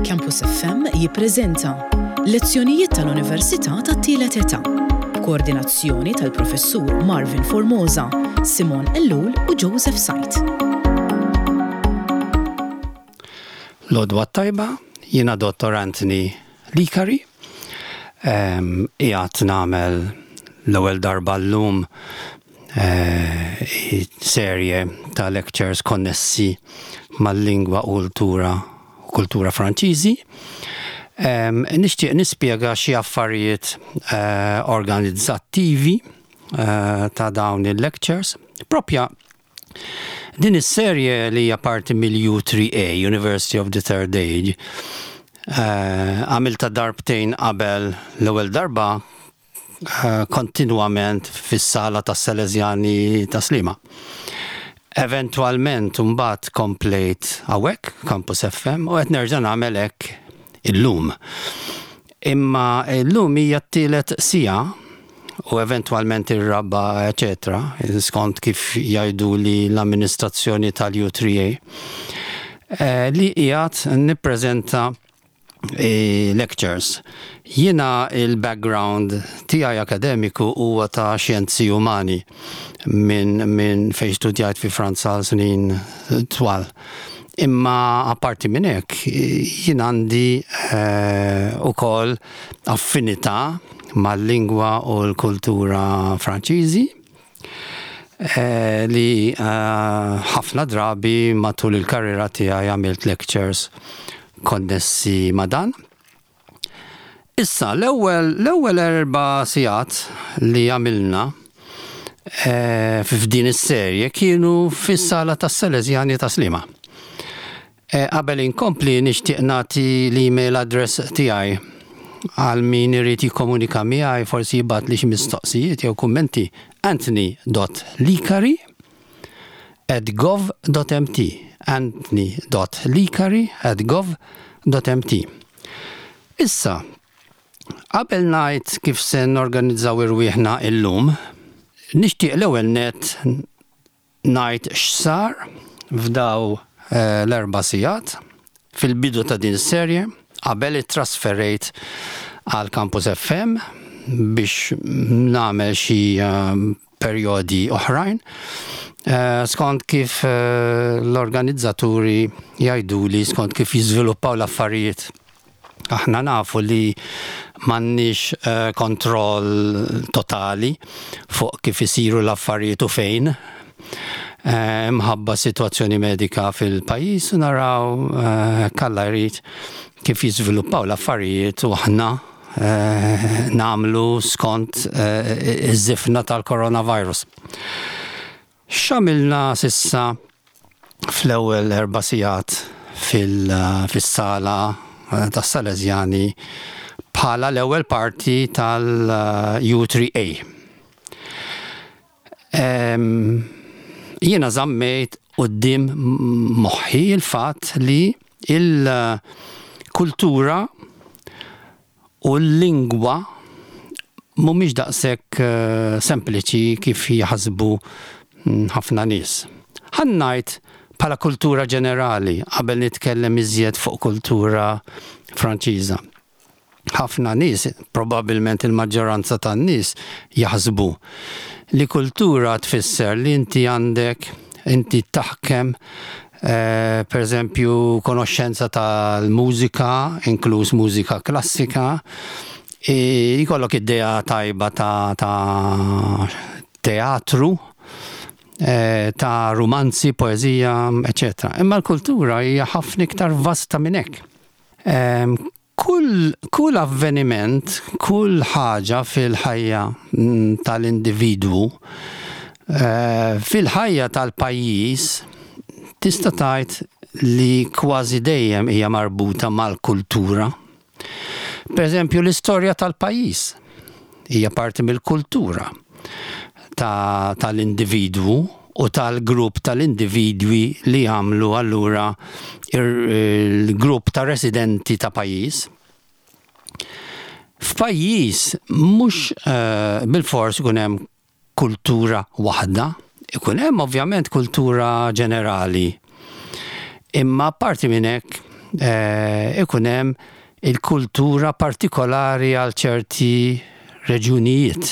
Campus FM jippreżenta Lezzjonijiet tal-Università tat-Tielet Età, b'koordinazzjoni tal-Professur Marvin Formosa, Simon Ellul u Joseph Said. L-għodwa t-tajba, jiena Dottor Anthony Licari, qiegħed nagħmel l-ewwel darba llum serje ta' lectures konnessi mal-lingwa u kultura kultura Franċiżi. Nixtieq nispjega xi affarijiet organizzattivi ta' dawn il-lectures. Propja din is-serje li hija parti mill-U3A, University of the Third Age, għamiltha darbtejn qabel l-ewwel darba kontinwament fis-sala tas-Salesjani ta' Sliema. Eventwalment imbagħad komplejt hawnhekk, Campus FM, u qed nerġa' nagħmel hekk illum. Imma llum hija t-tielet siegħa u eventwalment ir-raba' eċetera, skont kif jgħiduli l-amministrazzjoni tal-U3A, li qiegħed nippreżenta lectures. Jiena il-background tiegħi akademiku huwa ta' xjenzi umani minn min fejn studjajt fi Franza għal snin twal. Imma apparti minn hekk jien għandi eh, ukoll affinità mal-lingwa u l-kultura Franċiżi li ħafna drabi matul il-karriera tiegħi għamilt lectures konnessi ma' dan. Issa, l-ewwel l-ewwel erba' sigħat li għamilna f'din is-serje kienu fis-sala tas-Salesjani ta' Sliema. Qabel inkompli nixtieq nagħti l-email address tiegħi għal min irid jikkomunika miegħi forsi jibgħatli xi mistoqsijiet jew kummenti anthony.licari at gov.mt anthony.licari at gov.mt Issa, qabel ngħid kif se norganizzaw irwieħna illum, nixtieq l-ewwel nett ngħid x'sar f'daw l-erba' sigħat fil-bidu ta' din is-serje qabel ittrasferejt għal Campus FM biex nagħmel xi perjodi oħrajn skont kif l-organizzaturi jgħiduli skont kif jiżviluppaw l-affarijiet. Aħna nafu li m'għandniex eh, kontroll totali fuq kif isiru l-affarijiet u fejn. Eh, mħabba situazzjoni medika fil-pajjiż u naraw eh, kalla jrid kif jiżviluppaw l-affarijiet u aħna nagħmlu skont iż-żifna tal-coronavirus. X'għamilna s'issa fl-ewwel erba' sigħat fis-sala tas-Salesjani bħala l-ewwel parti tal-U3A? Jiena żammejt quddiem moħħi l-fatt li l-kultura u l-lingwa mhumiex daqshekk sempliċi kif jaħsbu ħafna nies. Ħa ngħid bħala kultura ġenerali qabel nitkellem iżjed fuq kultura Franċiża. Ħafna nies, probabbilment il-maġġoranza tan-nies, jaħsbu li kultura tfisser li inti għandek, inti taħkem Per eżempju, konoxxenza tal-mużika, inkluż mużika klassika, jkollok idea tajba ta' ta' teatru, ta' rumanzi, poeżija, eċċetera. Imma l-kultura hija ħafna iktar vasta minn hekk. Kull, kull avveniment, kull ħaġa fil-ħajja tal-individwu, fil-ħajja tal-pajjiż, tista' tgħid li kważi dejjem hija marbuta mal-kultura. Pereżempju, l-istorja tal-pajjiż hija parti mill-kultura ta' tal-individwu u tal-grupp tal-individwi li jagħmlu allura il-grupp ta' residenti ta' pajjiż. F'pajjiż mhux eh, bilfors ikun hemm kultura waħda, ikun hemm ovvjament kultura ġenerali. Imma apparti minn hekk eh, ikun hemm il-kultura partikolari għal ċerti reġjunijiet,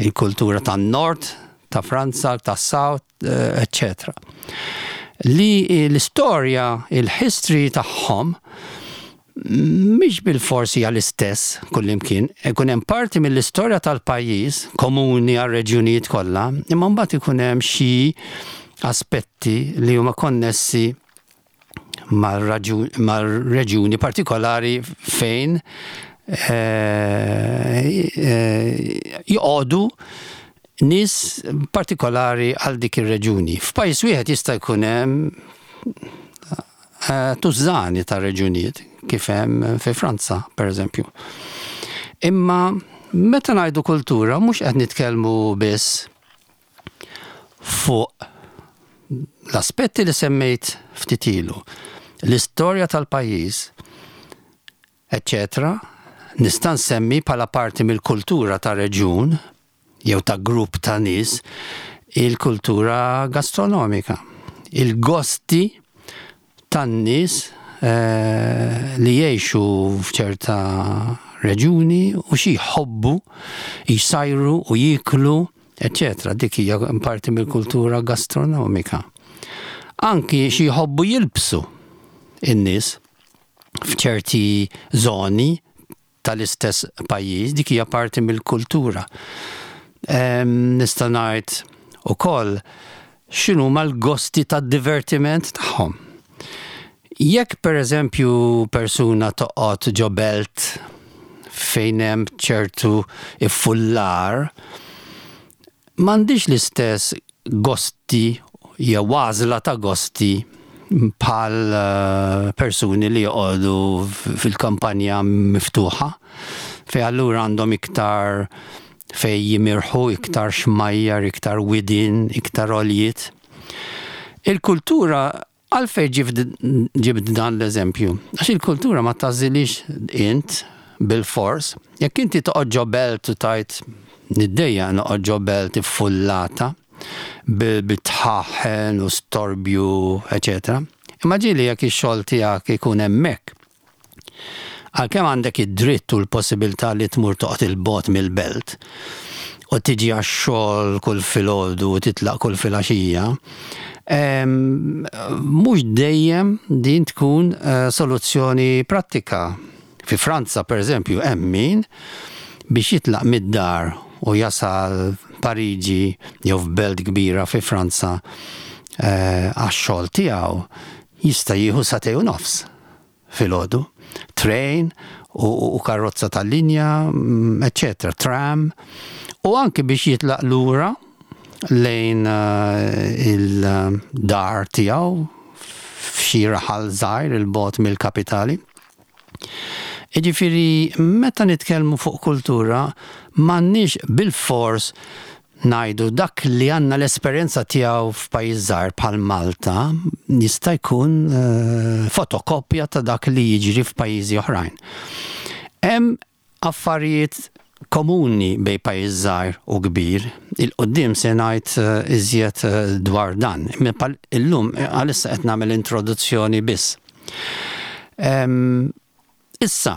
il-kultura tan-nord ta' Franza, tas-south, eċċetera. Li l-istorja, il-history tagħhom mhix bilfors hija l-istess kullimkien. Ikun hemm parti mill-istorja tal-pajjiż komuni għar-reġjunijiet kollha, imma mbagħad ikun hemm xi aspetti li huma konnessi mar-reġjuni partikolari fejn joqogħdu nies partikolari għal dik ir-reġjuni. F'pajjiż wieħed jista' jkun hemm tużżani ta' reġjunijiet kif hemm fi Franza, pereżempju. Imma meta ngħidu kultura mhux qed nitkellmu biss fuq l-aspetti li semmejt ftit ilu, l-istorja tal-pajjiż, eċċetera, nista' nsemmi bħala parti mill-kultura ta' reġjun jew ta' grupp ta' nies il-kultura gastronomika, il-gosti tan-nies li jgħixu f'ċerta reġjuni u xi jħobbu jsajru u jieklu, eċċetera. Dik hija parti mill-kultura gastronomika. Anki xi jħobbu jilbsu in-nies f'ċerti żoni tal-istess pajjiż, dik hija parti mill-kultura. Nista' ngħid ukoll x'inhuma l-gosti tad-divertiment tagħhom. Jekk pereżempju persuna toqgħod ġo belt fejn hemm ċertu iffullar, m'għandhiex l-istess gosti jew għażla ta' gosti bħal persuni li joqogħdu fil-kampanja miftuħa, fejn allura għandhom iktar fejn jimirħu, iktar xmajjar, iktar widien, iktar għoljiet. Il-kultura Għalfejn ġibt dan l-eżempju? Għax il-kultura ma tagħżilhiex int bilfors. Jekk inti toqgħod ġo belt u tgħid niddejjaq noqgħod ġo belt iffullata bi dħaħen u storbju, eċetera. Imma ġieli jekk ix-xogħol tiegħek ikun hemmhekk, Għalkemm għandek id-dritt u l-possibilità li tmur toqgħod 'il bogħod mill-belt u tiġi għax-xogħol kull filgħodu u titlaq kull filgħaxija, mhux dejjem din tkun soluzzjoni prattika. Fi Franza, pereżempju, hemm min biex jitlaq mid-dar u jasal Pariġi jew f'belt kbira fi Franza għax-xogħol tiegħu jista' jieħu sagħtejn u nofs. filgħodu, train u karozza tal-linja, eċċetera, tram, u anki biex jitlaq lura lejn il-dar tiegħu f'xi raħal żgħir 'il bogħod mill-kapitali. Jiġifieri meta nitkellmu fuq kultura m'għandniex bilfors ngħidu dak li għandna l-esperjenza tiegħu f'pajjiż żgħir bħal Malta jista' jkun fotokopja ta' dak li jiġri f'pajjiżi oħrajn. Hemm affarijiet komuni bejn pajjiż żgħir u kbir, il-quddiem se ngħid iżjed dwar dan. Imma illum għalissa qed nagħmel introduzzjoni biss. Issa,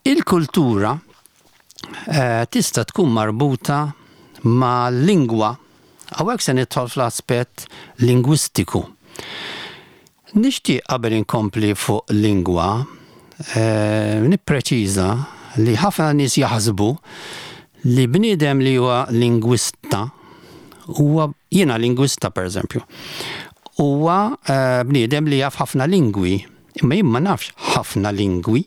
Il-kultura tista' tkun marbuta mal-lingwa. Hawnhekk se nidħol fl-aspett lingwistiku. Nixtieq qabel inkompli fuq lingwa nippreċiża li ħafna nies jaħsbu li bniedem li huwa lingwista huwa, jiena lingwista pereżempju, huwa bniedem li jaf ħafna lingwi. Imma jien ma nafx ħafna lingwi.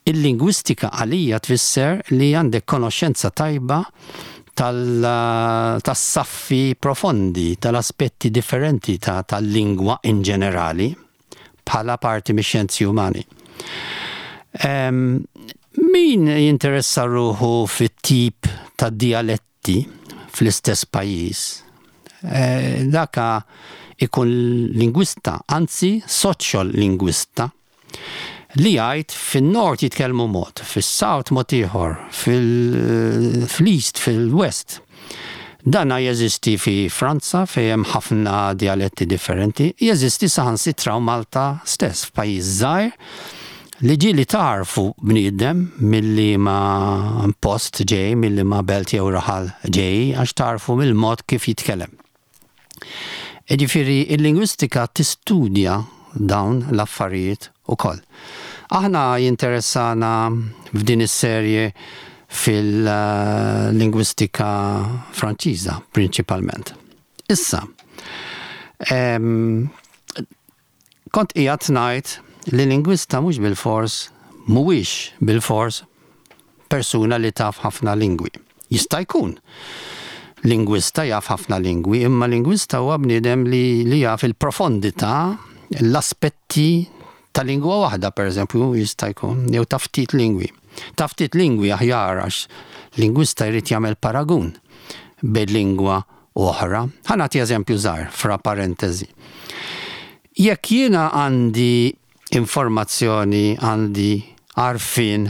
Il-lingwistika għalija tfisser li għandek konoxxenza tajba tas-saffi profondi, tal-aspetti differenti tal-lingwa in ġenerali bħala parti mix-xjenzi umani. Min jinteressa ruħu fit-tip ta' djalett dialetti fl-istess pajjiż, daka ikun lingwista, anzi soċjolingwista, li jgħid fin-Nord jitkellmu mod, fis-South mod ieħor, fl-East, fil-West. Dana jeżisti fi Franza fejn hemm ħafna djaletti differenti, jeżisti saħansitra u Malta stess, f'pajjiż żgħir li ġieli tagħrfu bniedem mil-liema post ġej, mil-liema belt jew raħal ġej għax tagħrfu mill-mod kif jitkellem. Jiġifieri l-lingwistika tistudja dawn l-affarijiet ukoll. Aħna jinteressana f'din is-serje fil-lingwistika Franċiża prinċipalment. Issa, kont qiegħed ngħid li lingwista mhux bilfors mhuwiex bilfors persuna li taf ħafna lingwi. Jista' jkun lingwista jaf ħafna lingwi, imma lingwista huwa bniedem li, li jaf il-profondità, l-aspetti ta' lingwa waħda, pereżempju, jista' jkun, jew ta' ftit lingwi. Ta' ftit lingwi aħjar għax lingwista jrid jagħmel paragun bejn lingwa u oħra. Ħa nagħti eżempju żgħir fra parentesi. Jekk jiena għandi informazzjoni, għandi għarfien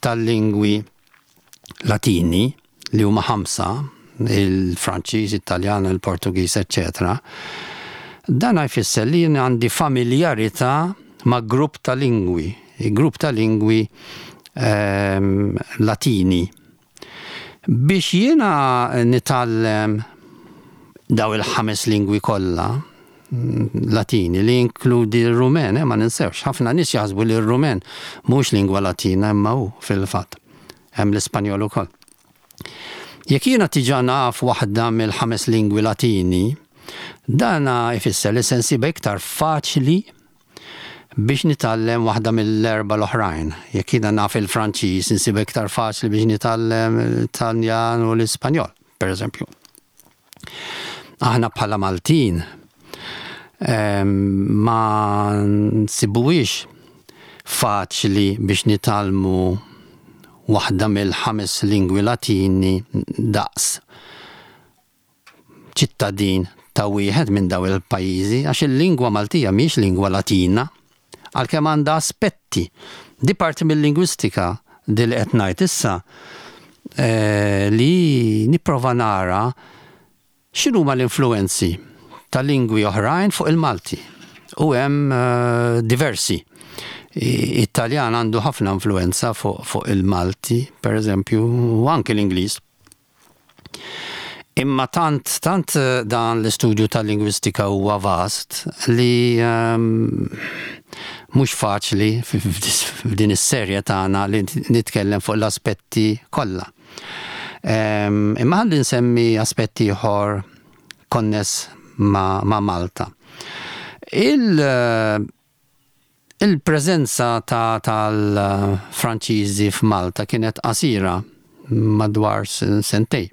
tal-lingwi Latini, li huma ħamsa, il-Franċiż, it-Taljan, il-Portugiż, eċċetera, dan jfisser li jien għandi familjarità ma' grupp ta' lingwi, grupp ta' lingwi ehm, Latini. Biex jiena nitgħallem daw il-ħames lingwi kollha Latini li jinkludi r-Rumen, eh, ma ninsewx, ħafna nies jaħsbu li r-Rumen mhux lingwa Latina imma hu fil-fatt. Hemm l-Ispanjol ukoll. Jekk jiena tiġa naf waħda mill-ħames lingwi Latini, dana jfisser li se nsibha iktar faċli biex nitgħallem waħda mill-erbgħa l-oħrajn. Jekk jiena naf il-Franċiż, insibha iktar faċli biex nitgħallem it-Taljan u l-Ispanjol, pereżempju. Aħna bħala Maltin ma nsibuhiex faċli biex nitgħallmu waħda mill-ħames lingwi Latini daqs ċittadin ta' wieħed minn dawn il-pajjiżi għax il-lingwa Maltija mhijiex lingwa Latina, għalkemm għandha aspetti. Di parti mil-lingwistika di li qed ngħid issa li nipprova nara x'inhuma l-influwenzi ta' lingwi oħrajn fuq il-Malti. U hemm diversi. It-Taljan għandu ħafna influwenza fuq il-Malti, pereżempju, u anki l-Ingliż. Imma tant, tant dan l-istudju tal-lingwistika huwa vast li mhux faċli f'din is-serje tagħna li nitkellem fuq l-aspetti kollha. Imma ħalli nsemmi aspett ieħor konness ma' Malta. Il Il-preżenza ta' tal-Franċiżi f'Malta kienet qasira, madwar sentejn.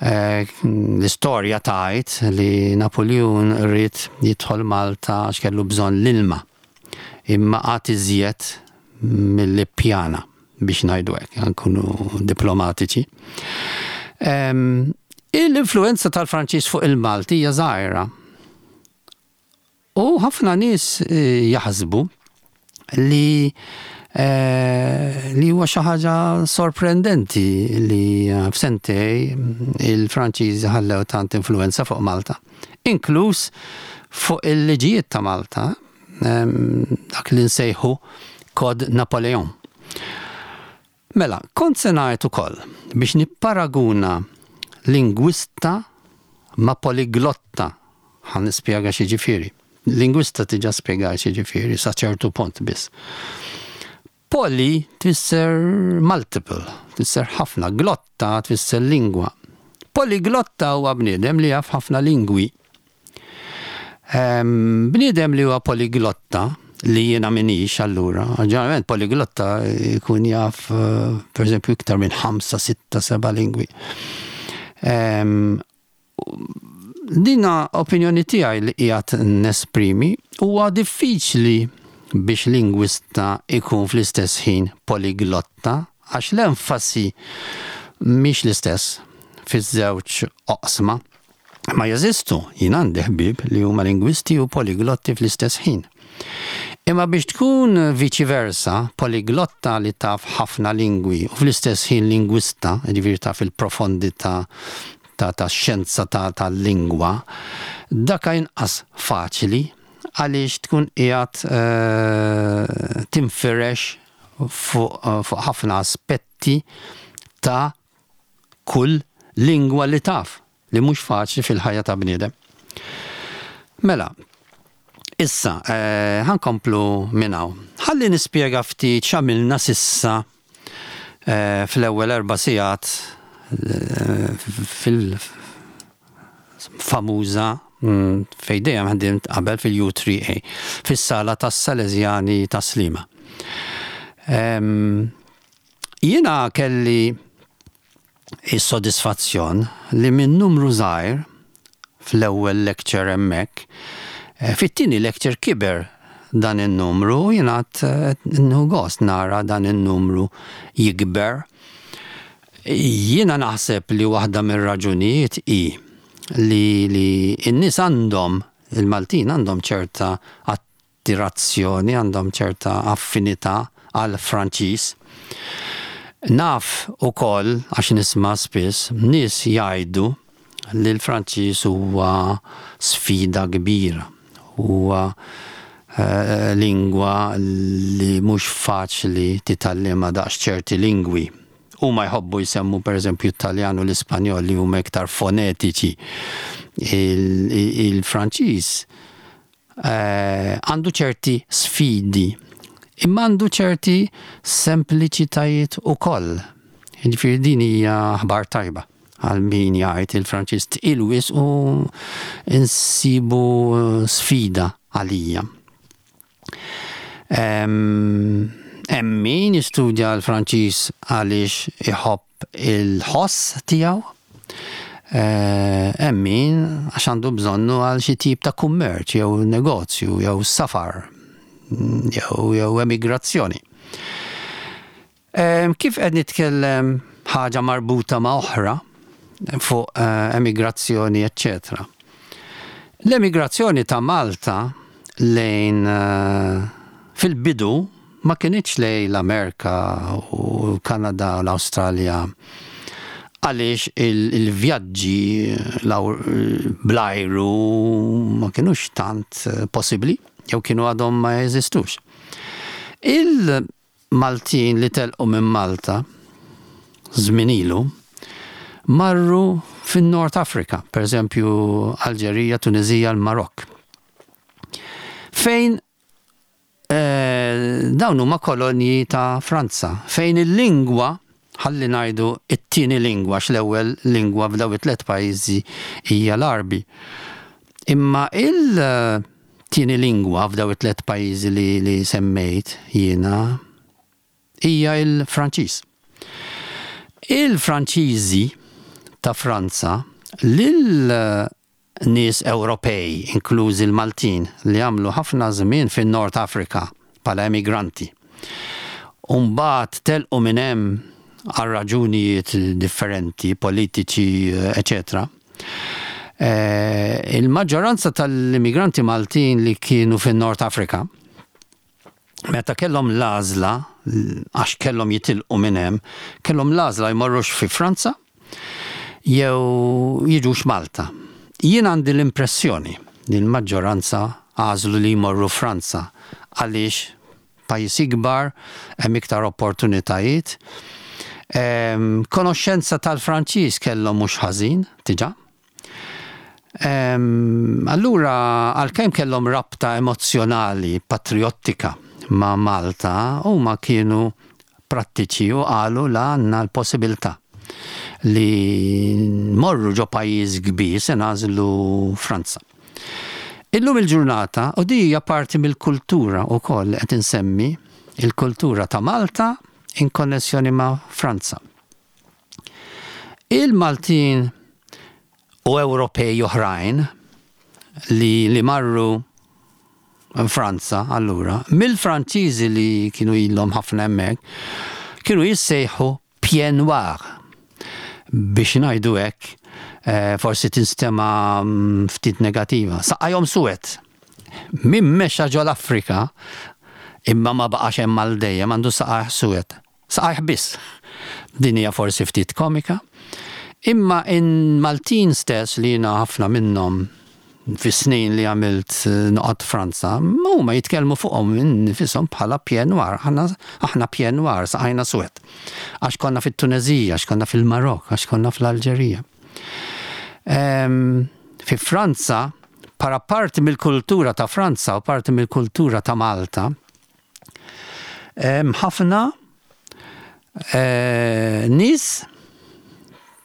L-istorja tgħid li Napuljun ried jidħol Malta għax kellu bżonn l-ilma, imma qagħad iżjed milli ppjana, biex ngħidu hekk, nkunu diplomatiċi. Il-influwenza tal-Franċiż fuq il-Malti hija żgħira. U ħafna nies jaħsbu li li huwa xi ħaġa sorprendenti li f'sentej il-Franċiżi ħallew tant influwenza fuq Malta, inkluż fuq il-liġijiet ta' Malta, dak li nsejħu Code Napoléon. Mela, kont se ngħid ukoll biex nipparaguna lingwista ma' poliglotta. Ħa nispjega x'jiġifieri. Lingwista diġà spjegajt x'jiġifieri sa ċertu punt biss. Poly tfisser multiple, tfisser ħafna, glotta tfisser lingwa. Poliglotta huwa bniedem li jaf ħafna lingwi. Bniedem li huwa poliglotta, li jiena minix allura, ġeneralment poliglotta jkun jaf pereżempju iktar minn ħamsa, sitta, seba' lingwi. Dina opinjoni tiegħi li qiegħed nesprimi, huwa diffiċli biex lingwista jkun fl-istess ħin poliglotta għax l-enfasi mhix l-istess fiż-żewġ oqsma. Ma jeżistu, jien għandi ħbieb li huma lingwisti u poliglotti fl-istess ħin. Imma biex tkun viċi versa, poliglotta li taf ħafna lingwi u fl-istess ħin lingwista, jiġifieri taf il-profondità ta' xjenza tal-lingwa, daka inqas faċli għaliex tkun qiegħed tinfirex fuq ħafna aspetti ta' kull lingwa li taf, li mhux faċli fil-ħajja ta' bniedem. Mela, issa, ħa nkomplu minn hawn. Ħalli nispjega ftit x'għamilna s'issa fl-ewwel erba' sigħat fil-famuża fejn dejjem ħdimt qabel fil-U3A, fis-sala tas-Salesjani ta' Sliema. Jiena kelli is-sodisfazzjon li minn numru żgħir fl-ewwel lecture hemmhekk, fit-tieni lecture kiber dan in-numru u jien għad nieħu gost nara dan in-numru jikber. Jiena naħseb li waħda mir-raġunijiet hi li li n-nies għandhom, il-Maltin għandhom ċerta attirazzjoni, għandhom ċerta affinità għall-Franċiż. Naf ukoll, għax nisma' spiss, nies jgħidu li l-Franċiż huwa sfida kbira, huwa lingwa li mhux faċli titgħallimha daqs ċerti lingwi. Huma jħobbu jsemmu pereżempju t-Taljan u l-Ispanjol li huma iktar fonetiċi. Il-Franċiż Għandu ċerti sfidi, imma għandu ċerti sempliċitajiet ukoll. Jiġifieri din hija aħbar tajba għal min jgħid il-Franċiż tqil wisq u nsibu sfida għalija. Hemm min jistudja l-Franċiż għaliex iħobb il-ħoss tiegħu, hemm min għax għandu bżonnu għal xi tip ta' kummerċ jew negozju jew safar jew jew emigrazzjoni. Kif qed nitkellem ħaġa marbuta ma' oħra fuq emigrazzjoni eċċetera. L-emigrazzjoni ta' Malta lejn fil-bidu ma kinitx lejn l-Amerika u l-Kanada u l-Awstralja għaliex il-vjaġġi bl-ajru ma kinux tant possibbli jew kienu għadhom ma jeżistux. Il-Maltin li telqu minn Malta żmien ilu marru fin-North Africa, pereżempju Alġerija, Tuniżija, l-Marokk. Fejn Dawn huma kolonji ta' Franza, fejn il-lingwa, ħalli ngħidu t-tieni lingwa għax l-ewwel lingwa f'dawn it-tliet pajjiżi hija l-Għarbi. Imma il-tieni lingwa f'dawn it-tliet pajjiżi li semmejt jiena hija l-Franċiż. Il-Franċiżi ta' Franza lil nies Ewropej, inklużi l-Maltin, li għamlu ħafna żmien fin-North Africa bħala emigranti u mbagħad telqu minn hemm għal raġunijiet differenti, politiċi, eċetera. Il-maġġoranza tal-immigranti Maltin li kienu fin-North Africa, meta kellhom l-għażla, għax kellhom jitilqu minn hemm, kellhom l-għażla jmorrux fi Franza jew jiġux Malta. Jien għandi l-impressjoni li l-maġġoranza għażlu li jmorru Franza għaliex pajjiż ikbar, hemm iktar opportunitajiet. Konoxxenza tal-Franċiż kellhom mhux ħażin diġà. Allura għalkemm kellhom rabta emozzjonali, patrijottika ma' Malta, huma kienu prattiċi u qalu la għandna l-possibilità li nmorru ġo pajjiż kbir se nagħżlu Franza. Illum il-ġurnata, u di hija parti mill-kultura wkoll li qed insemmi, il-kultura ta' Malta in konnessjoni ma' Franza. Il-Maltin u Ewropej oħrajn li li marru Franza allura, mill-Franċiżi li kienu ilhom ħafna hemmhekk, kienu jissejħu pieds noirs. Biex ngħidu hekk, forsi tinstema' ftit negativa. Saqajhom suwed. Min mexa ġol-Afrika imma ma baqax hemm għal dejjem għandu saqajh suwed. Saqajh biss. Din hija forsi ftit komika. Imma in-Maltin stess li jiena ħafna minnhom fis-snin li għamilt noqgħod Franza, huma jitkellmu fuqhom innifishom bħala pied noir. Aħna aħna pied noir, saqajna suwed. Għax konna fit-Tuneżija, għax konna fil-Marokk, għax konna fl-Alġerija. Fi Franza, bħala parti mill-kultura ta' Franza u parti mill-kultura ta' Malta, hemm ħafna nies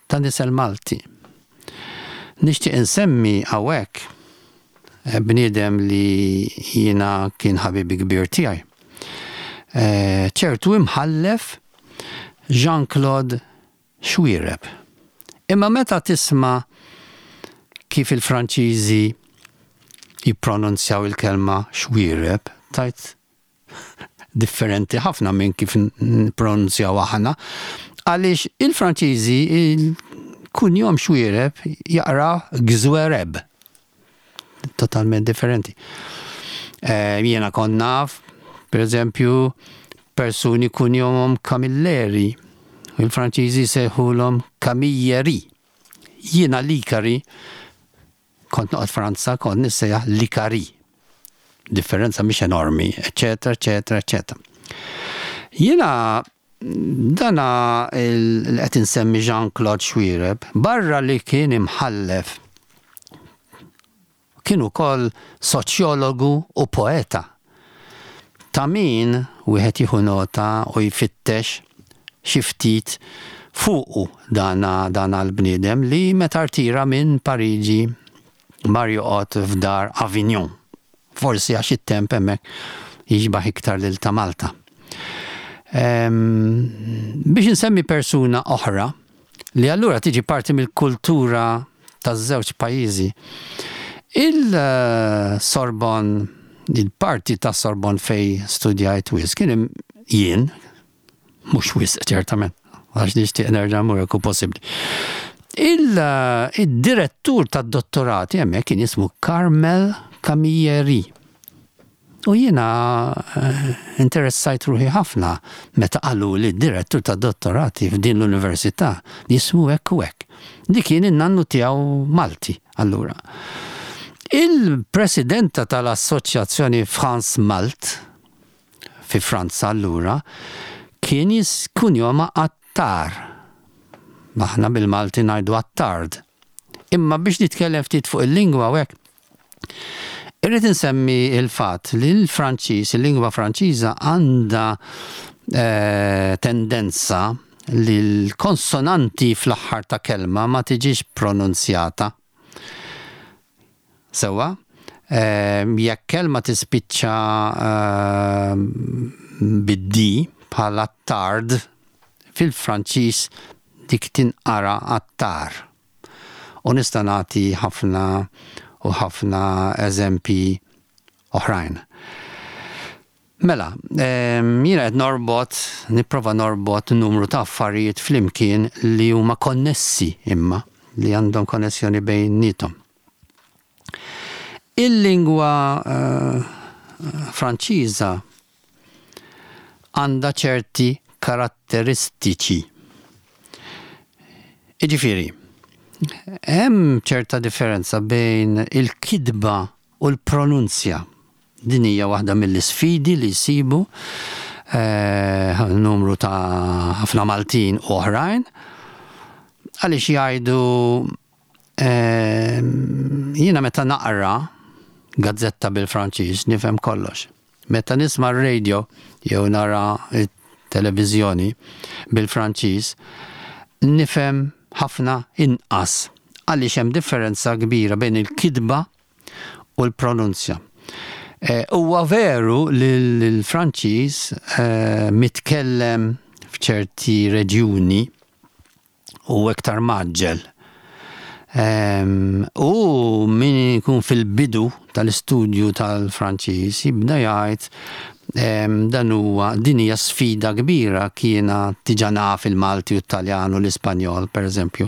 ta' nisel Malti. Nixtieq insemmi hawnhekk bniedem li jiena kien ħabibi kbir tiegħi. Ċertu imħallef Jean-Claude Xuereb. Imma meta tisma' kif il-Franċiżi jippronunzjaw il-kelma Xuereb, tgħid differenti ħafna minn kif nippronunzjaw aħna, għaliex il-Franċiżi il-kunjom Xuereb jaqraw Gżwereb. Totalment differenti. Eh, jiena kont naf, per eżempju, persuni kunjomhom Camilleri, il-Franċiżi sejħulhom Camilleri. Jiena Likari Kont noqgħod Franza, kont nissejjaħ Likari. Differenza mhix enormi, eċċetera, eċċetera, eċċetera. Jiena dana li qed insemmi Jean-Claude Xuereb, barra li kien imħallef, kien ukoll soċjologu u poeta. Ta' min wieħed jieħu nota u jfittex xi ftit fuqu dana dana l-bniedem li meta rtira minn Pariġi mar joqgħod f'dar Avignon. Forsi għax it-temp hemmhekk jixbah iktar lil ta' Malta. Biex insemmi persuna oħra li allura tiġi parti mill-kultura taż-żewġ pajjiżi. Il-Sorbonne, il-parti tas-Sorbonne fejn studjajt wisq kien jien, mhux wisq ċertament, għax nixtieq nerġa' mmur jekk hu possibbli. Il-direttur tad-dottorati hemmhekk kien jismu Carmel Camilleri. U jiena interessajt ruħi ħafna meta qaluli d-direttur tad-dottorati f'din l-università jismu hekk u hekk. Li kien in-nannu tiegħu Malti, allura. Il-presidenta tal-assoċjazzjoni France Malt fi Franza allura kien kunjomha Attar. Aħna bil-Malti ngħidu Attard. Imma biex nitkellem ftit fuq il-lingwa u hekk, Irrid insemmi l-fatt li l-Franċiż, il-lingwa Franċiża għandha tendenza li l-konsonanti fl-aħħar ta' kelma ma tiġix pronunzjata. Sewwa? Jekk kelma tispiċċa bid-d bħal attard, fil-Franċiż dik tinqara attar. U nista' nagħti ħafna u ħafna eżempji oħrajn. Mela, jiena qed norbot, nipprova norbot numru ta' affarijiet flimkien li huma konnessi imma, li għandhom konnessjoni bejniethom. Il-lingwa Franċiża għandha ċerti karatteristiċi. Jiġifieri, hemm ċerta differenza bejn il-kitba u l-pronunzja. Din hija waħda mill-isfidi li jsibu numru ta' ħafna Maltin u oħrajn għaliex jgħidu jiena meta naqra gazzetta bil-Franċiż nifhem kollox. Meta nisma' r-radio jew nara t-televiżjoni bil-Franċiż, nifhem ħafna inqas għaliex hemm differenza kbira bejn il-kitba u l-pronunzja. Huwa veru li l-Franċiż mitkellem f'ċerti reġjuni u iktar mgħaġġel. U min ikun fil-bidu tal-istudju tal-Franċiż jibda jgħid dan huwa din hija sfida kbira kiena diġà naf il-Malti u t-Taljan u l-Ispanjol pereżempju.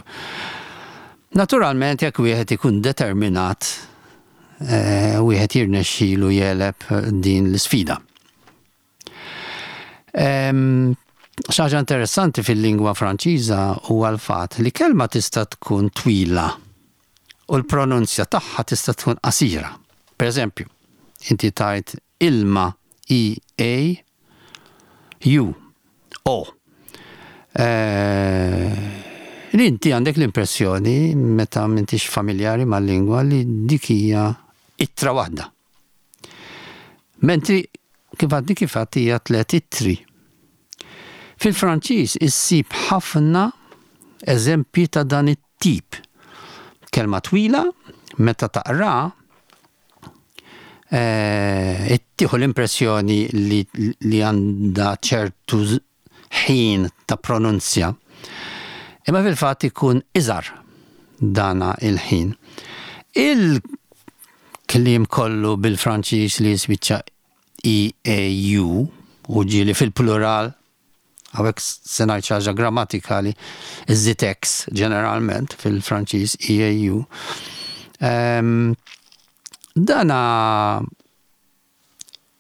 Naturalment jekk wieħed ikun determinat wieħed jirnexxilu jegħleb din l-isfida. Xi ħaġa interessanti fil-lingwa Franċiża huwa l-fatt li kelma tista' tkun twila u l-pronunzja tagħha tista' tkun qasira. Per eżempju, inti tgħid ilma E A U O. Li inti għandek l-impressjoni meta m'intix familjari mal-lingwa li dik hija ittra waħda. Mentri kif għadni kif għadt hija tlett ittri. Fil-Franċiż issib ħafna eżempji ta' dan it-tip. Kelma twila, meta taqra, eh, tieħu l-impressjoni li, li għandha ċertu ħin ta' pronunzja. Imma fil-fatt ikun iżgħar dana il-ħin. Il-kliem kollu bil-Franċiż li jispiċċa EAU u ġieli fil-plural hawnhekk se ngħid xi ħaġa grammatikali, iżżid X ġeneralment fil-Franċiż EAU. Ehm, dana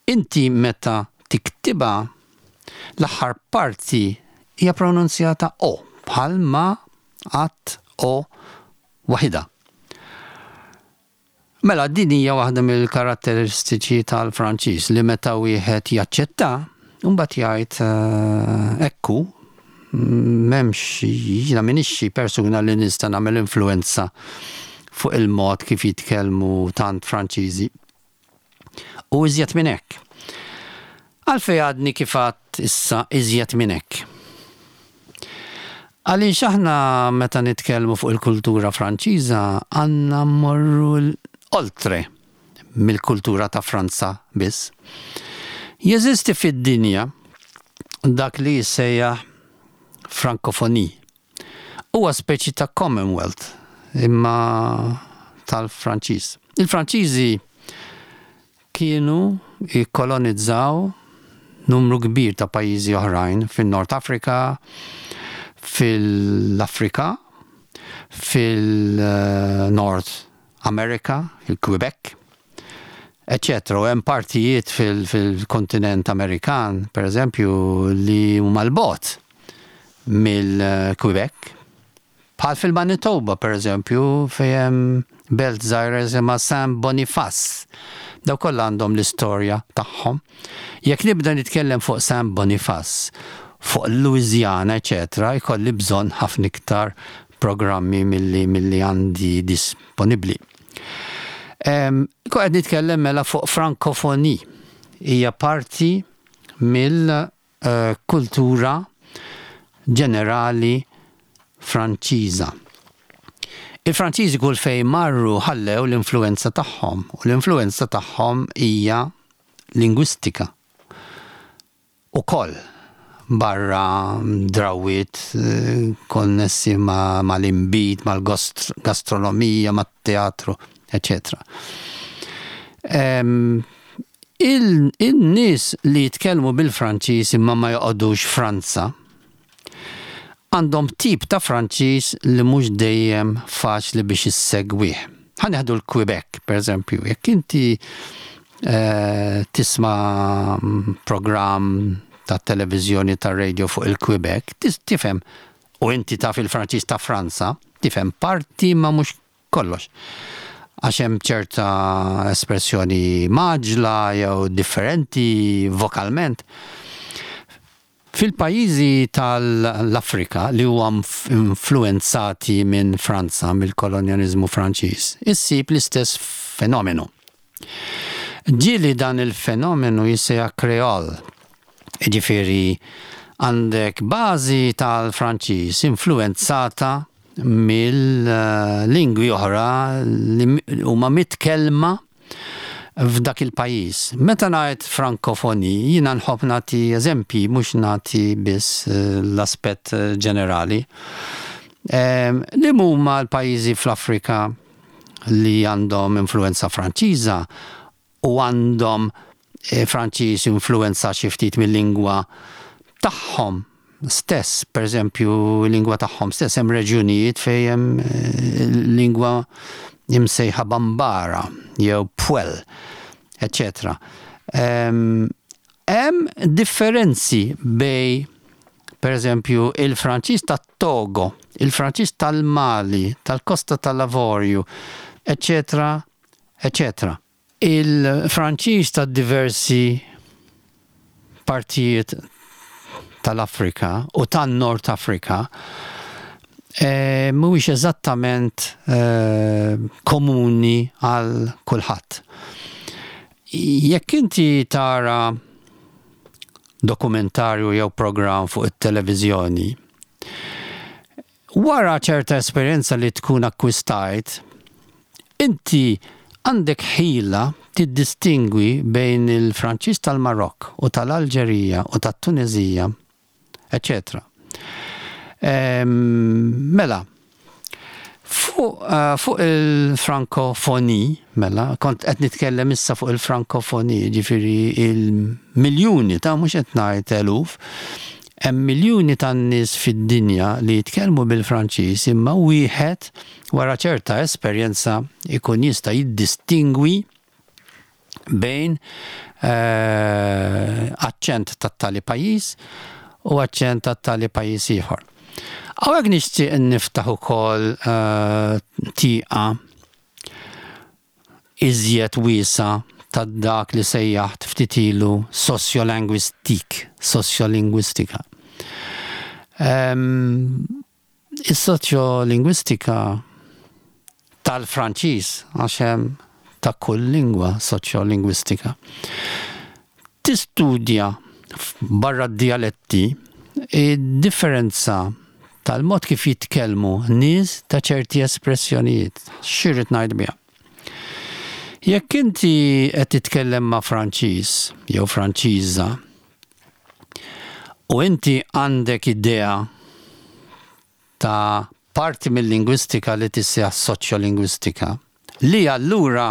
Inti meta tiktibha, l-aħħar parti hija pronunzjata o, bħal ma għadt o waħidha. Mela din hija waħda mill-karatteristiċi tal-Franċiż li meta wieħed jaċċetta, imbagħad jgħid hekk hu, m'hemmx jiena m'iniex xi persuna li nista' nagħmel influwenza fuq il-mod kif jitkellmu tant Franċiżi. U iżjed minn hekk. Għalfejn għadni kif għadt issa iżjed minn hekk? Għaliex aħna meta nitkellmu fuq il-kultura Franċiża għandna mmorru oltre mill-kultura ta' Franza biss. Jeżisti fid-dinja dak li jissejjaħ Francophonie. Huwa speċi ta' Commonwealth imma tal-Franċiż. Il-Franċiżi kienu jikkolonizzaw numru kbir ta' pajjiżi oħrajn fin-North Africa, fil-Afrika, fil-North America, fil-Quebec, eċċetera U hemm partijiet fil-kontinent Amerikan, per eżempju, li huma 'l bogħod mill-Quebec. Bħal fil-Manitoba, per eżempju, fejn hemm belt żgħira jisimha Saint Boniface. Dawk kollha għandhom l-istorja tagħhom. Jekk nibda nitkellem fuq Saint Boniface, fuq Louisiana, eċċetera, jkolli bżonn ħafna iktar programmi milli milli għandi disponibbli. Kont qed nitkellem mela fuq Francophonie. Hija parti mill-kultura ġenerali Franċiża. Il-Franċiżi kull fejn marru ħallew l-influwenza tagħhom u l-influwenza tagħhom hija lingwistika. Ukoll, barra drawwiet konnessi mal-inbid, mal-gastronomija, mat-teatru, eċċetera. In-nies li jitkellmu bil-Franċiż imma ma joqogħdux Franza, għandhom tip ta' Franċiż li mhux dejjem faċli biex issegwih. Ħa nieħdu l-Quebec, pereżempju, jekk inti tisma' programm tat-televiżjoni tar-radio fuq il-Quebec, tifhem, u inti taf il-Franċiż ta' Franza, tifhem parti ma mhux kollox. Għax hemm ċerta espressjoni mgħaġġla jew differenti vokalment. Fil-pajjiżi tal-Afrika li huwa influwenzati minn Franza, mill-kolonjaliżmu Franċiż, issib l-istess fenomenu. Ġieli dan il-fenomenu jissejjaħ kreol, jiġifieri għandek bażi tal-Franċiż influwenzata mill-lingwi oħra li huma mitkellma f'dak il-pajjiż. Meta ngħid frankofoni, jiena nħobb nagħti eżempji mhux nagħti biss eh, l-aspett eh, ġenerali. Ehm, li huma l-pajjiżi fl-Afrika li għandhom influenza Franċiża u għandhom eh, Franċiż influenza xi ftit mill-lingwa tagħhom stess, pereżempju lingwa tagħhom stess hemm reġjunijiet fejn hemm eh, lingwa imsejħa Bambara jew Pwel, eċetera. Hemm differenzi bej Per eżempju, il-Franċiż tat-Togo, il-Franċiż tal-Mali, tal-Kosta tal-Avorju, eċċetera, eċċetera. Il-Franċiż ta' diversi partijiet tal-Afrika u tan-Nord Afrika eh, mhuwiex eżattament eh, komuni għal kulħadd. Jekk inti tara dokumentarju jew programm fuq it-televiżjoni, wara ċerta esperjenza li tkun akkwistajt, inti għandek ħila tiddistingwi bejn il-Franċiż tal-Marokk u tal-Alġerija u tat-Tuneżija, eċċetera. Mela, fuq eh, fuq il-frankofoni, mela, kont qed nitkellem issa fuq il-frankofoni, ġifieri il-miljuni ta' mhux qed ngħid eluf, hemm miljuni ta' nies fid-dinja li jitkellmu bil-Franċiż imma wieħed wara ċerta esperjenza ikun jista' jiddistingwi bejn aċċent tat-tali pajjiż u aċċent tat-tali pajjiż ieħor. Hawnhekk nixtieq niftaħ ukoll tieqa iżjed wiesgħa ta' dak li sejjaħt ftit ilu sociolinguistique, sosjolingwistika. Is-soċjolingwistika tal-Franċiż, għax hemm ta' kull lingwa soċjolingwistika, tistudja barra d-dijaletti id-differenza tal-mod kif jitkellmu nies ta' ċerti espressjonijiet. X'irrid ngħid biha? Jekk inti qed titkellem ma' Franċiż jew Franċiża u inti għandek idea ta' parti mill-lingwistika li tissejjaħ soċjolingwistika, li allura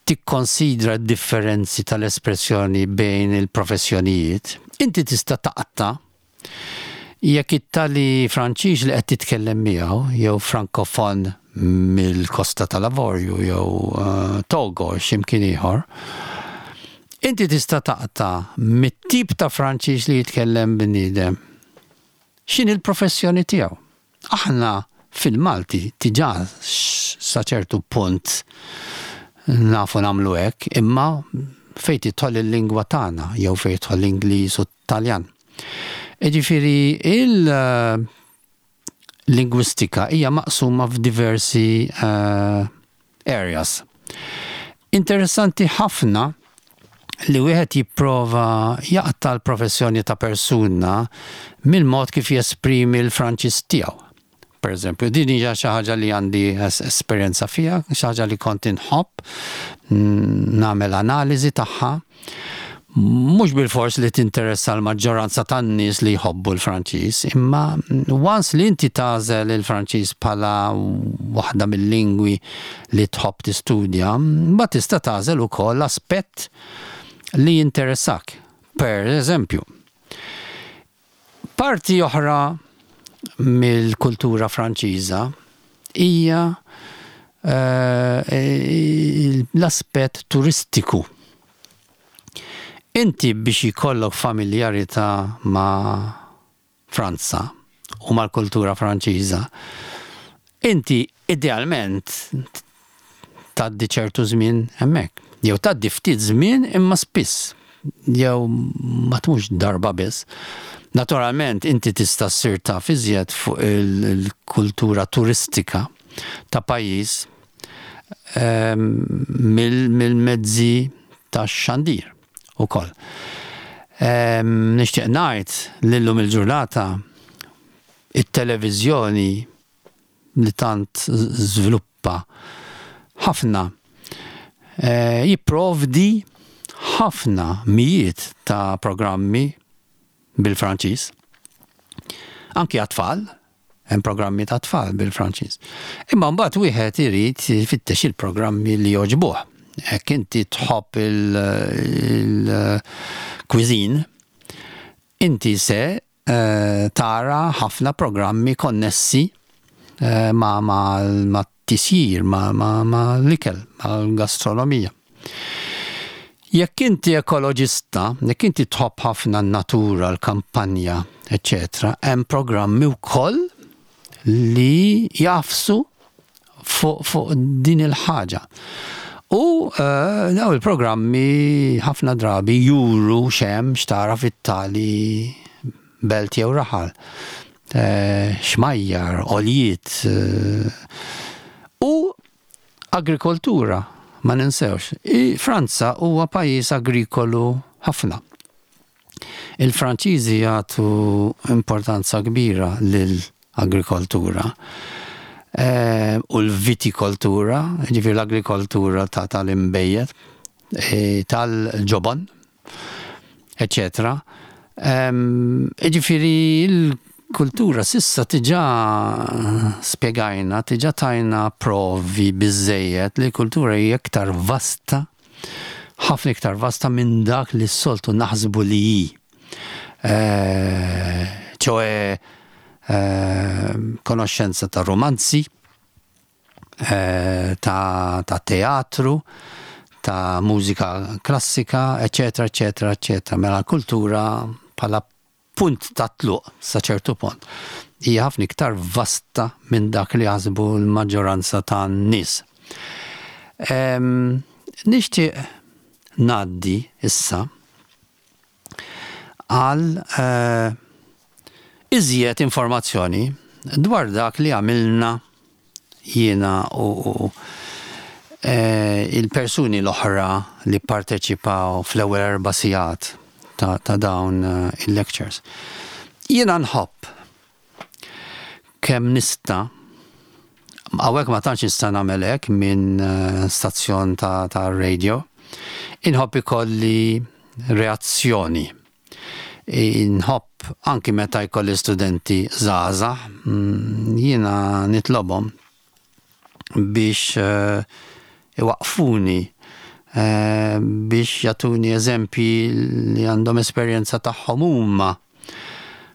tikkonsidra d-differenzi tal-espressjoni bejn il-professjonijiet, inti tista' taqta' Jekk it-tali Franċiż li qed titkellem miegħu, jew Frankofon mill-Kosta tal-Avorju jew Togo xi mkien ieħor, inti tista' taqta' mit-tip ta' Franċiż li jitkellem bniedem x'inhi l-professjoni tiegħu. Aħna fil-Malti diġà sa ċertu punt nafu nagħmlu hekk, imma fejn tidħol il-lingwa tagħna jew fejn jidħol l-Ingliż u t-Taljan. Jiġifieri il-lingwistika hija maqsuma f'diversi areas. Interessanti ħafna li wieħed jipprova jaqta' l-professjoni ta' persuna mill-mod kif jesprimi l-Franċiż tiegħu. Per eżempju, din hija xi ħaġa li għandi esperjenza fiha, xi ħaġa li kont inħobb nagħmel analiżi tagħha. Mhux bilfors li tinteressa l-maġġoranza tan-nies li jħobbu l-Franċiż, imma once li inti tagħżel il-Franċiż bħala waħda mill-lingwi li tħobb tistudja, mbagħad tista' tagħżel ukoll aspett li jinteressak. Per eżempju, parti oħra mill-kultura Franċiża hija eh, l-aspett turistiku. Inti biex jkollok familjarità ma' Franza u mal-kultura Franċiża, inti idealment tgħaddi ċertu żmien hemmhekk. Jew tgħaddi ftit żmien imma spiss. Jew ma tmurx darba biss. Naturalment inti tista' ssir taf iżjed fuq il-kultura turistika ta' pajjiż ehm, mill-mezzi tax-xandir ukoll. Ehm, nixtieq ngħid li llum il-ġurnata it-televiżjoni li tant żviluppa ħafna eh, jipprovdi ħafna mijiet ta' programmi bil-Franċiż. Anki għat-tfal, hemm programmi ta' tfal bil-Franċiż. Imma mbagħad wieħed irid jfittex il-programmi li jogħġbuh. Hekk inti tħobb il-cuisine, inti se eh, tara ħafna programmi konnessi eh, ma' ma' tisjir, ma' ma' l-ikel, mal-gastronomija. Jekk inti ekoloġista, jekk inti tħobb ħafna n-natura, l-kampanja, eċċetera, hemm programmi wkoll li jagħfsu fuq fu din il-ħaġa. U daw il-programmi ħafna drabi juru x'hemm x'tara fit-tali belt jew raħal. Xmajjar, għoljiet u agrikoltura, ma ninsewx. Franza huwa pajjiż agrikolu ħafna. Il-Franċiżi jagħtu importanza kbira lill-agrikoltura u l-vitikoltura, jiġifieri l-agrikoltura ta' tal-inbejjed, tal-ġobon, eċċetera. Jiġifieri l-kultura s'issa diġà spjegajna, diġà tajna provi biżżejjed li l-kultura hija iktar vasta ħafna iktar vasta minn dak li s-soltu naħsbu li hi. ċoe konoxxenza ta' romanzi, ta' teatru, ta' mużika klassika, eċetera, eċetera, eċetera. Mela l-kultura bħala punt ta' tluq sa ċertu punt hija ħafna iktar vasta minn dak li jaħsbu l-maġġoranza tan-nies. Nixtieq ngħaddi issa għal eh, iżjed informazzjoni dwar dak li għamilna jiena u il-persuni l-oħra li pparteċipaw fl-ewwel erba' sigħat ta' dawn il-lectures. Jiena nħobb kemm nista' hawnhekk ma tantx nista' nagħmel hekk minn stazzjon ta' radio, inħobb ikolli reazzjoni. Inħobb anki meta jkolli studenti żgħażagħ, jiena nitlobhom biex iwaqqfuni biex jagħtuni eżempji li għandhom esperjenza tagħhom huma.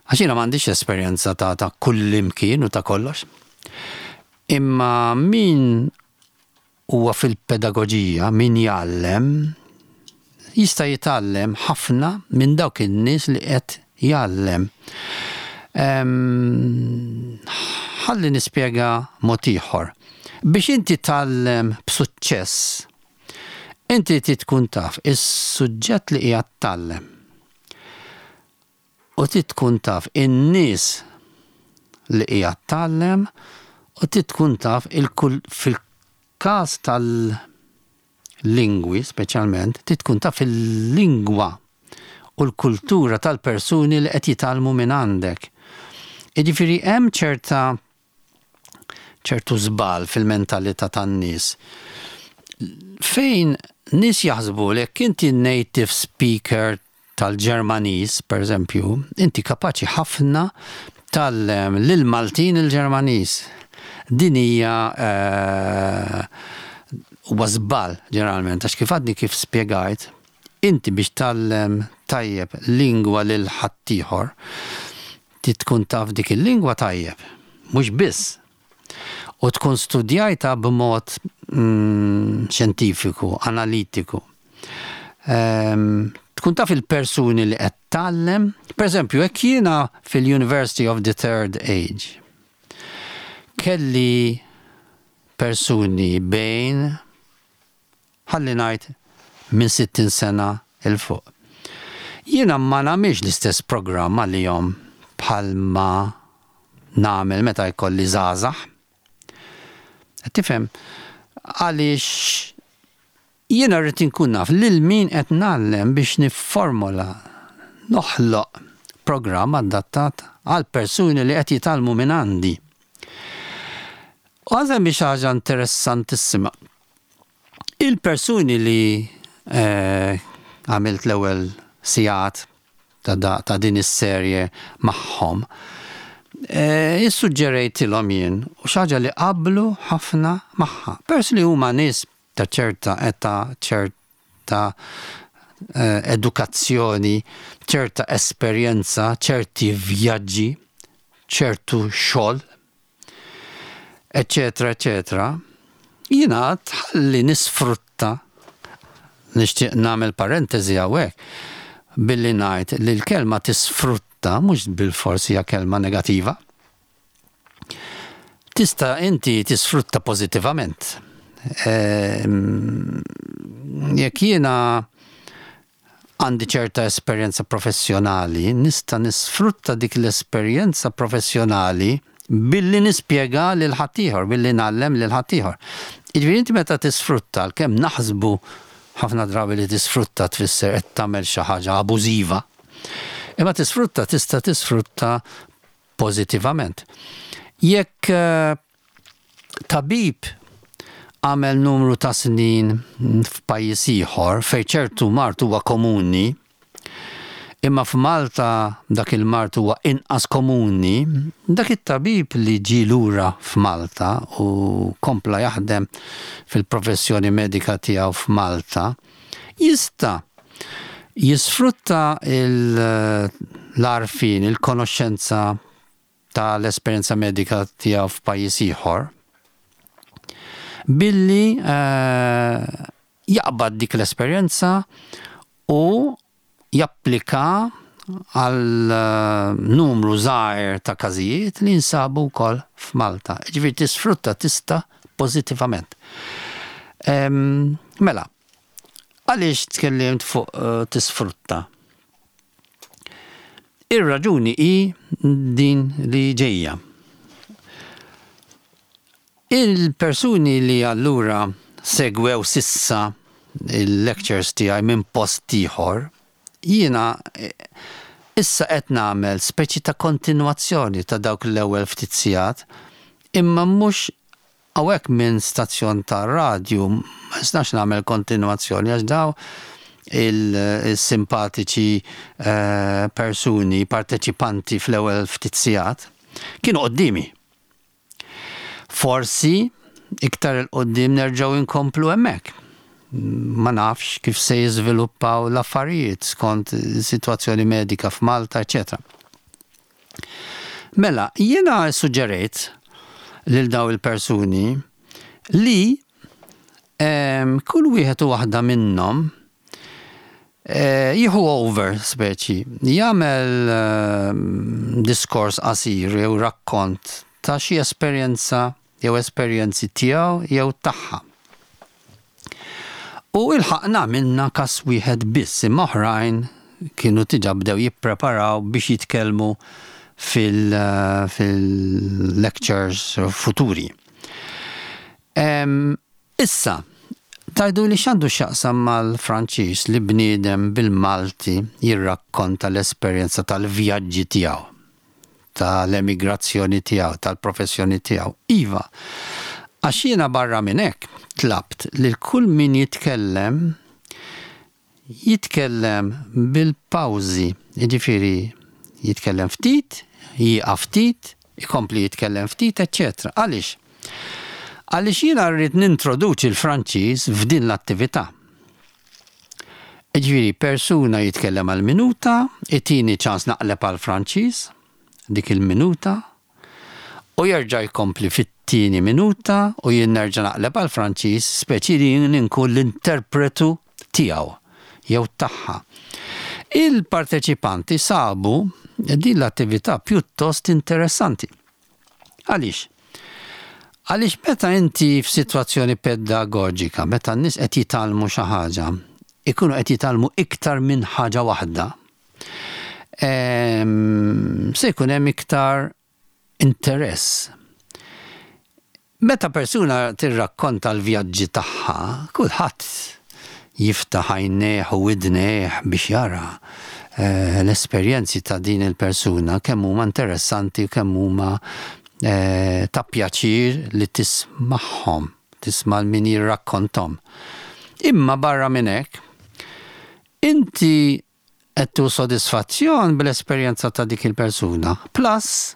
Għax jiena m'għandix esperjenza ta' ta' kullimkien u ta' kollox. Imma min huwa fil-pedagoġija, min jgħallem, jista' jitgħallem ħafna minn dawk in-nies li qed jgħallem. Ħalli nispjega mod ieħor. Biex inti tgħallem b'suċċess, inti trid tkun taf is-suġġett li qiegħed tgħallem. U trid tkun taf in-nies li qiegħed tgħallem u trid tkun taf fil-każ tal-lingwi speċjalment, trid tkun taf il-lingwa u l-kultura tal-persuni li qed jitgħallmu minn għandek. Jiġifieri hemm ċerta ċertu żball fil-mentalità tan-nies fejn nies jaħsbu li jekk inti native speaker tal-Ġermaniż, pereżempju, inti kapaċi ħafna tgħallem lill-Maltin il-Ġermaniż. Din hija huwa żball ġeneralment għax kif għadni kif spjegajt, inti biex tgħallem tajjeb lingwa lil ħaddieħor, Trid tkun taf dik il-lingwa tajjeb, mhux biss. U tkun studjajtha b'mod xjentifiku, analitiku. Tkun taf il-persuni li qed tgħallem. Pereżempju, jekk jiena fil-University of the Third Age kelli persuni bejn ħalli ngħid minn 60 sena 'l fuq. Jiena ma nagħmilx l-istess programm għalihom bħalma nagħmel meta jkolli żgħażagħ. Qed tifhem? Għaliex jiena rrid inkun naf lil min qed ngħallem biex nifformola, noħloq programm adattat għall-persuni li qed jitgħallmu mingħandi. U ħa nsemmi xi ħaġa interessantissima. Il-persuni li għamilt l-ewwel sigħat ta' din is-serje magħhom, issuġġerejtilhom jien u xi ħaġa li qablu ħafna magħha. Peress li huma nies ta' ċerta età, ċerta edukazzjoni, ċerta esperjenza, ċerti vjaġġi, ċertu xogħol, eċċetera eċċetera, jiena għad ħalli nisfrutta, nixtieq nagħmel parentesi hawnhekk billi ngħid li l-kelma tisfrutta. tisfrutta mhux bilfors hija kelma negativa. Tista' inti tisfrutta pożittivament. Ehm, jekk jiena għandi ċerta esperjenza professjonali, nista' nisfrutta dik l-esperjenza professjonali billi nispjega lil ħaddieħor, billi ngħallem lil ħaddieħor. Jiġifieri inti meta tisfrutta, għalkemm naħsbu ħafna drabi li tisfrutta tfisser qed tagħmel xi ħaġa abużiva, imma tisfrutta tista' tisfrutta pożittivament. Jekk tabib għamel numru ta' snin f'pajjiż ieħor fejn ċertu mard huwa komuni, imma f'Malta dak il-mard huwa inqas komuni, dak it-tabib li ġie lura f'Malta u kompla jaħdem fil-professjoni medika tiegħu f'Malta, jista' jisfrutta l-għarfien, il-konoxxenza ta' l-esperjenza medika tiegħu f'pajjiż ieħor billi eh, jaqbad dik l-esperjenza u japplika għal eh, numru żgħir ta' każijiet li jinsabu wkoll f'Malta. Ġifieri tisfrutta tista' pożittivament. Mela, għaliex tkellimt fuq eh, tisfrutta? Ir-raġuni hi din li ġejja. Il-persuni li allura segwew s'issa il-lectures tiegħi minn post ieħor, jiena issa qed nagħmel speċi ta' kontinwazzjoni ta' dawk l-ewwel ftit sigħat, imma mhux Hawnhekk minn stazzjon tar-radju ma nistax nagħmel kontinwazzjoni għax daw il-simpatiċi persuni parteċipanti fl-ewwel ftit sigħat kienu quddiemi. Forsi iktar 'il quddiem nerġgħu nkomplu hemmhekk. Ma nafx kif se jiżviluppaw l-affarijiet skont is-sitwazzjoni medika f'Malta, eċċetera. Mela, jiena ssuġġerejt lil dawn il-persuni li ehm, kull wieħed u waħda minnhom eh, jieħu over speċi, jagħmel ehm, diskors qasir jew rakkont ta' xi esperjenza jew esperjenzi tiegħu jew tagħha. U ilħaqna għamilna każ wieħed biss imma oħrajn kienu diġà bdew jippreparaw biex jitkellmu fil-lectures futuri. Issa, tgħiduli x'għandu x'jaqsam mal-Franċiż li bniedem bil-Malti jirrakkonta l-esperjenza tal-vjaġġi tiegħu? tal-emigrazzjoni tiegħu, tal-professjoni tiegħu. Iva, għax jiena barra minn hekk tlabt lil kull min jitkellem jitkellem bil-pawżi, jiġifieri jitkellem ftit, jieqaf ftit, ikompli jitkellem ftit, eċċetera. Għaliex? Għaliex jiena rrid nintroduċi l-Franċiż f'din l-attività. Jiġifieri persuna jitkellem għal minuta, itini ċans naqleb għall-Franċiż dik il-minuta, u jerġa' jkompli fit-tieni minuta u jien nerġa' naqleb għall-Franċiż, speċi li jien inkun l-interpretu tiegħu jew tagħha. Il-parteċipanti sabu din l-attività pjuttost interessanti. Għaliex? Għaliex meta inti f'sitwazzjoni pedagoġika, meta n-nies qed jitgħallmu xi ħaġa, ikunu qed jitgħallmu iktar minn ħaġa waħda, ehm, se jkun hemm iktar interess. Meta persuna tirrakkonta l-vjaġġi tagħha, kulħadd jiftaħ għajnejh u widnejh biex jara l-esperjenzi ta' din il-persuna kemm huma interessanti u kemm huma ta' pjaċir li tismagħhom, tisma' 'l min jirrakkonthom. Imma barra minn hekk, inti qed tieħu sodisfazzjon bl-esperjenza ta' dik il-persuna. Plus,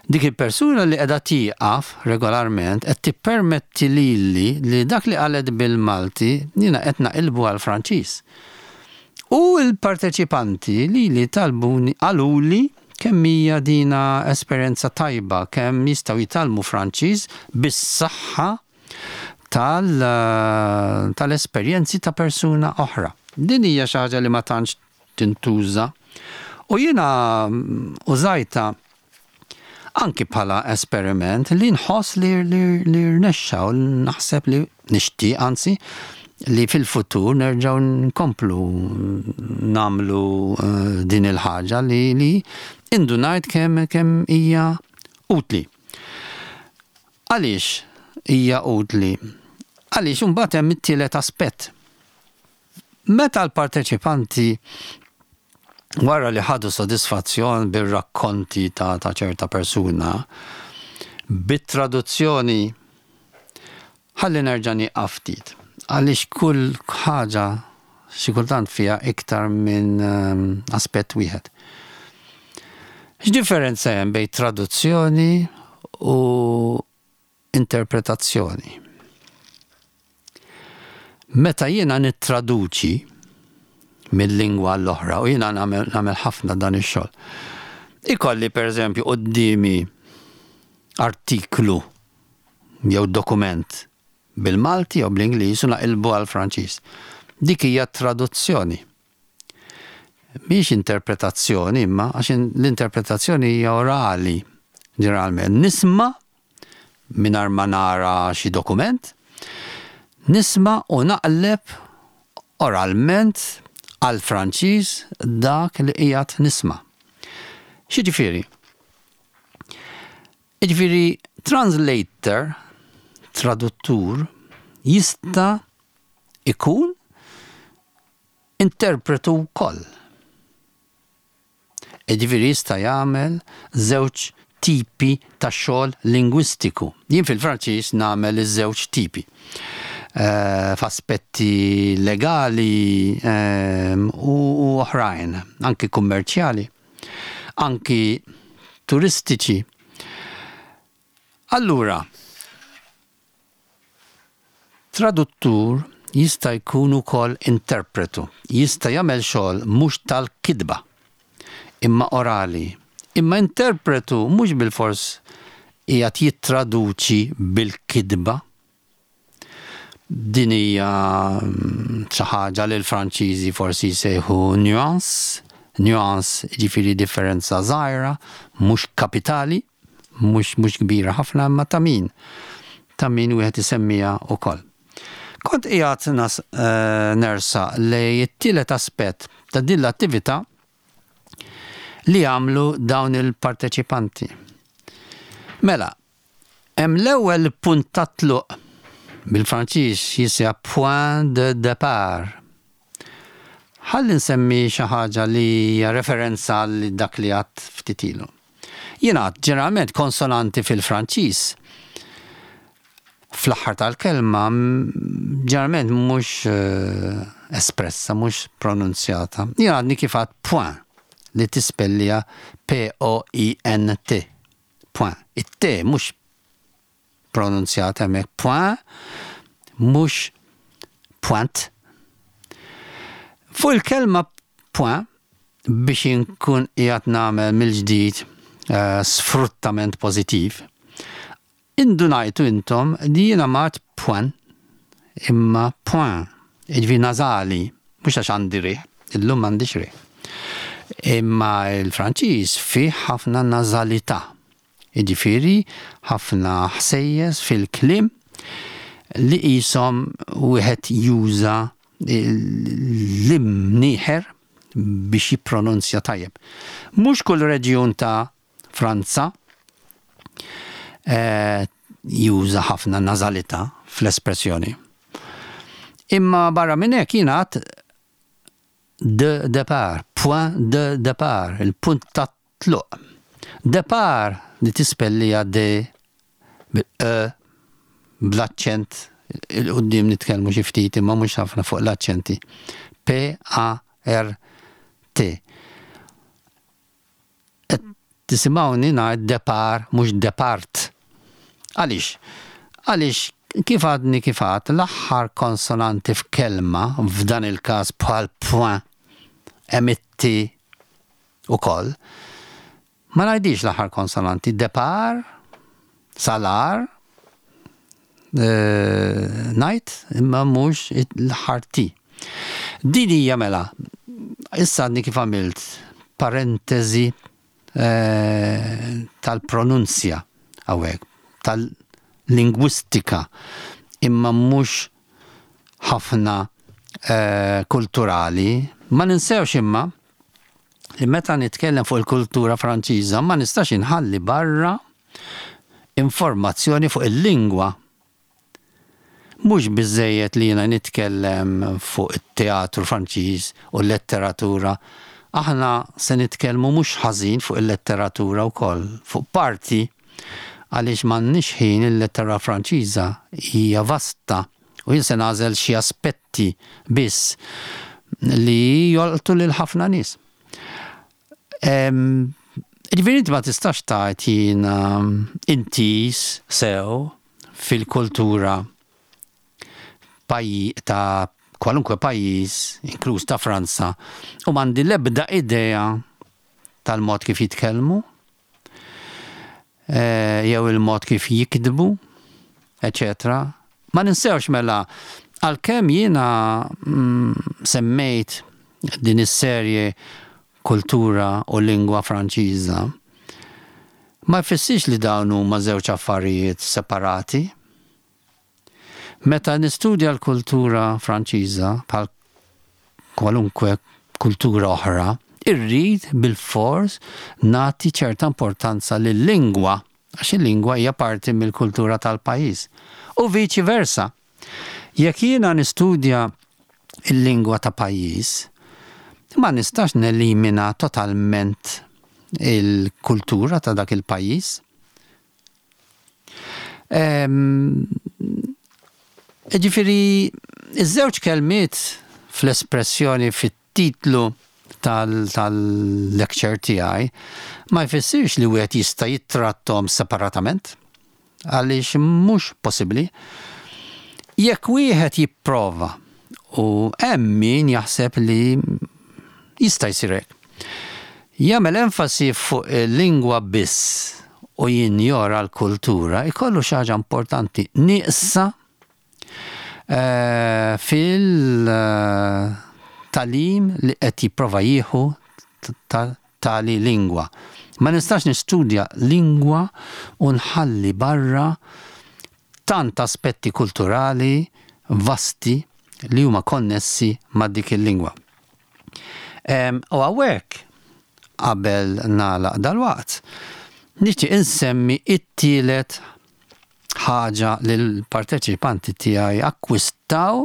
dik il-persuna li qiegħda tieqaf regolarment qed tippermetti lili li dak li qalet bil-Malti jiena qed naqilbu għall-Franċiż. U l-parteċipanti lili talbuni qaluli kemm hija dina esperjenza tajba, kemm jistgħu jitgħallmu Franċiż bis-saħħa tal-esperjenzi ta' persuna oħra. Din hija xi ħaġa li ma tantx tintuża. U jiena użajtha anki bħala esperiment li nħoss li li rnexxa u naħseb li nixtieq anzi li fil-futur nerġgħu nkomplu nagħmlu din il-ħaġa li li indunajt kemm kemm hija utli. Għaliex hija utli? Għaliex imbagħad hemm it-tielet aspett. Meta l-parteċipanti wara li ħadu sodisfazzjon bir-rakkonti ta' ta' ċerta persuna, bit-traduzzjoni, ħalli nerġa' nieqaf ftit, għaliex kull ħaġa xi kultant fiha iktar minn aspett wieħed. X'differenza hemm bejn traduzzjoni u interpretazzjoni. Meta jiena nittraduċi minn lingwa għall-oħra, u jiena nagħmel ħafna dan ix-xogħol, ikolli pereżempju quddiemi artiklu jew dokument bil-Malti jew bl-Ingliż u naqilbu għall-Franċiż. Dik hija traduzzjoni. Mhix interpretazzjoni imma għax l-interpretazzjoni hija orali ġeneralment. Nisma' mingħajr ma nara xi dokument, nisma' u naqleb oralment għall-Franċiż dak li qiegħed nisma'. X'jiġifieri? Jiġifieri translator, traduttur, jista' ikun interpretu wkoll. Jiġifieri jista' jagħmel żewġ tipi ta' xogħol lingwistiku. Jien fil-Franċiż nagħmel iż-żewġ tipi. F'aspetti legali u oħrajn, anki kummerċjali, anki turistiċi. Allura, Traduttur jista' jkun ukoll interpretu, jista' jagħmel xogħol mhux tal-kitba, imma orali. Imma interpretu mhux bilfors qiegħed jittraduċi bil-kitba. Din hija xi ħaġa li l-Franċiżi forsi jsejħu nuance, nuance jiġifieri differenza żgħira, mhux kapitali. Mhux mhux kbira ħafna imma ta' min ta' min wieħed isemmiha wkoll. Kont qiegħed nas nersaq lejn it-tielet aspett ta' din l-attività li għamlu dawn il-parteċipanti. Mela, hemm l-ewwel punt ta' tluq, bil-Franċiż jisejjaħ point de départ. Ħalli nsemmi xi ħaġa li hija referenza għal dak li għadt ftit ilu. Jingħad ġeneralment konsonanti fil-Franċiż fl-aħħar tal-kelma ġeneralment mhux espressa, mhux pronunzjata. Jien għadni kif għadt point li tispellija P-O-I-N-T. Point. It-T mhux pronunzjat hemmhekk point mhux point. Fuq il-kelma point biex inkun qiegħed nagħmel mill-ġdid eh, sfruttament pożittiv, indunajtu intom li jiena m'għad point imma point, jiġifieri nażali, mhux għax għandi riħ, illum m'għandix riħ. Imma l-Franċiż fih ħafna nażalità. Jiġifieri ħafna ħsejjes fil-kliem li qishom wieħed juża l-imnieħer biex jippronunzja tajjeb. Mhux kull reġjun ta' Franza juża ħafna nażalità fl-espressjoni. Imma barra minn hekk jingħad de départ, point de départ, il-punt ta' Tluq. Depart li tispellija de bil-e bl-aċċent 'il quddiem nitkellmu xi ftit imma mhux ħafna fuq l-aċċenti. P A R T. Qed tisimgħuni ngħid depart mhux depart. Għaliex? Għaliex kif għadni kif għadt l-aħħar konsonanti f'kelma, f'dan il-każ bħal point, hemm it-t ukoll. Ma ngħidix l-aħħar konsonanti, depar, salar, ngħid, imma mhux l-aħħar T. Din hija mela, issa għadni kif għamilt parentesi tal-pronunzja hawnhekk, tal-lingwistika, imma mhux ħafna kulturali. Ma ninsewx imma li meta nitkellem fuq il-kultura Franċiża ma nistax inħalli barra informazzjoni fuq il-lingwa. Mhux biżżejjed li jiena nitkellem fuq it-teatru Franċiż u l-letteratura. Aħna se nitkellmu mhux ħażin fuq il-letteratura wkoll, fuq parti, għaliex m'għandniex ħin il-letteratura Franċiża hija vasta u jien se nagħżel xi aspetti biss li jolqtu lil ħafna nies. Jiġifieri inti ma tistax tgħid jiena intiż sew fil-kultura ta' kwalunkwe pajjiż, inkluż ta' Franza, u m'għandi l-ebda idea tal-mod kif jitkellmu, jew il-mod kif jiktbu, eċċetera. Ma ninsewx mela, għalkemm jiena semmejt din is-serje kultura u lingwa Franċiża, ma jfissirx li dawn huma żewġ affarijiet separati. Meta nistudja l-kultura Franċiża, bħal kwalunkwe kultura oħra, irrid bilfors nagħti ċerta importanza lil-lingwa, għax il-lingwa hija parti mill-kultura tal-pajjiż. U viċi versa. Jekk jiena nistudja l-lingwa ta' pajjiż, ma nistax nelimina totalment il-kultura ta' dak il-pajjiż. Jiġifieri, iż-żewġ kelmiet fl-espressjoni fit-titlu tal-lecture tiegħi ma jfissirx li wieħed jista' jittratthom separatament, għaliex mhux possibbli. Jekk wieħed jipprova, u hemm min jaħseb li jista' jsir hekk, jagħmel enfasi fuq il-lingwa biss u jinjora l-kultura, ikollu xi ħaġa importanti nieqsa fil-tagħlim li qed jipprova jieħu ta' tali lingwa. Ma nistax nistudja lingwa u nħalli barra tant aspetti kulturali vasti li huma konnessi ma' dik il-lingwa. U hawnhekk, qabel nagħlaq dalwaqt, nixtieq insemmi t-tielet ħaġa li l-parteċipanti tiegħi akkwistaw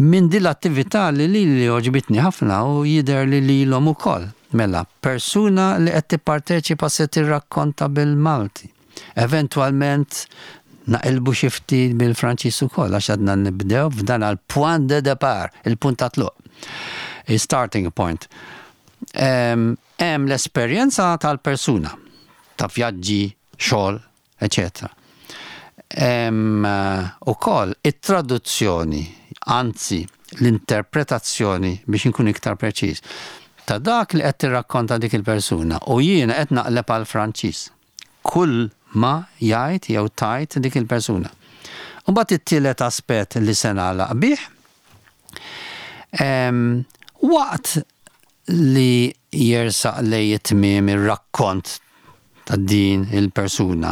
minn din l-attività li lili għoġbitni ħafna u jidher li lilhom ukoll. Mela, persuna li qed tipparteċipa se tirrakkonta bil-Malti. Eventwalment naqilbu xi ftit bil-Franċiż ukoll għax għadna nibdew f'dan għal point de départ, il-punt ta' tluq. Starting point. Hemm l-esperjenza tal-persuna ta' vjaġġi, xogħol, eċetera. Hemm ukoll it-traduzzjoni, anzi l-interpretazzjoni biex inkun iktar preċiż, ta' dak li qed tirrakkonta dik il-persuna u jiena qed naqleb għall-Franċiż kull ma jgħid jew tgħid dik il-persuna. U mbagħad it-tielet aspett li se nagħlaq bih, waqt li jersaq lejn it-tmiem ir-rakkont ta' din il-persuna,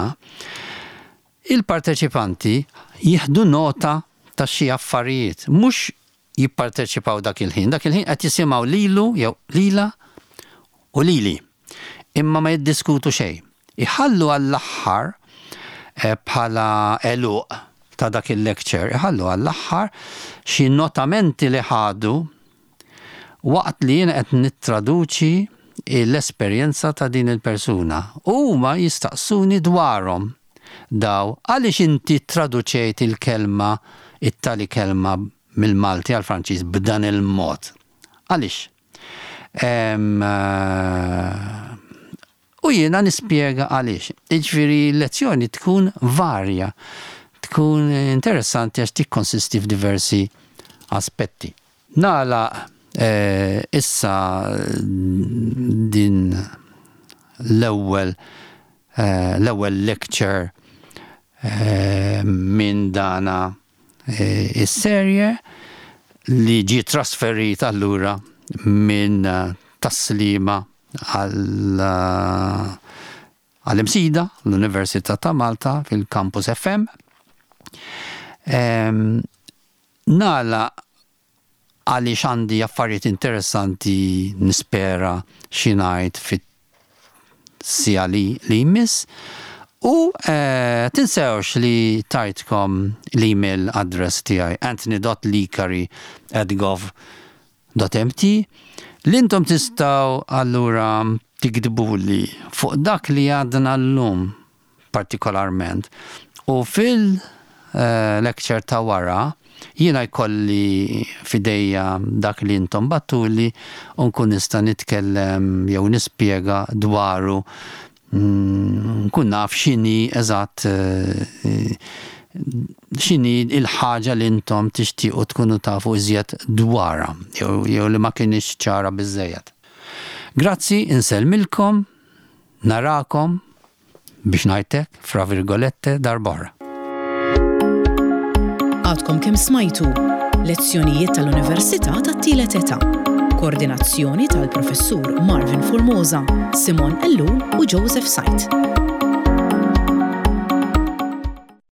il-parteċipanti jieħdu nota ta' xi affarijiet, mhux jipparteċipaw dak il-ħin, dak il-ħin qed jisimgħu lilu jew lilha u lili, imma ma jiddiskutu xejn. Iħallu għall-aħħar bħala għeluq ta' dak il-lecture, iħallu għall-aħħar xi notamenti li ħadu waqt li jiena qed nittraduċi l-esperjenza ta' din il-persuna. U huma jistaqsuni dwarhom daw għaliex inti ttraduċejt il-kelma, it-tali kelma mill-Malti għall-Franċiż b'dan il-mod. Għaliex? U jiena nispjega għaliex. Jiġifieri l-lezzjoni tkun varja, tkun interessanti għax tikkonsisti f'diversi aspetti. Nagħlaq issa din l-ewwel l-ewwel lecture minn dana is-serje li ġie trasferit allura minn. Tas-Sliema għal għall-Imsida, l-Università ta' Malta fil-Campus FM. Nagħlaq għaliex għandi affarijiet interessanti nispera xi ngħid fit-siegħa li li jmiss. U tinsewx li tajtkom l-email address tiegħi anthony.licari at gov dot mt li intom tistgħu allura tiktbuli fuq dak li għadna llum partikolarment u fil lecture ta' wara jiena jkolli f'idejja dak li intom bgħattuli u nkun nista' nitkellem jew nispjega dwaru nkun naf x'inhi eżatt x'inhi l-ħaġa li intom tixtiequ tkunu tafu iżjed dwarha jew li ma kinitx ċara biżżejjed. Grazzi, insellmilkom, narakom biex ngħid hekk, fra virgolette, darb'oħra. Għadkom kemm smajtu Lezzjonijiet tal-Università tat-Tielet Età. Koordinazzjoni tal-Professur Marvin Formosa, Simon Ellul u Joseph Said.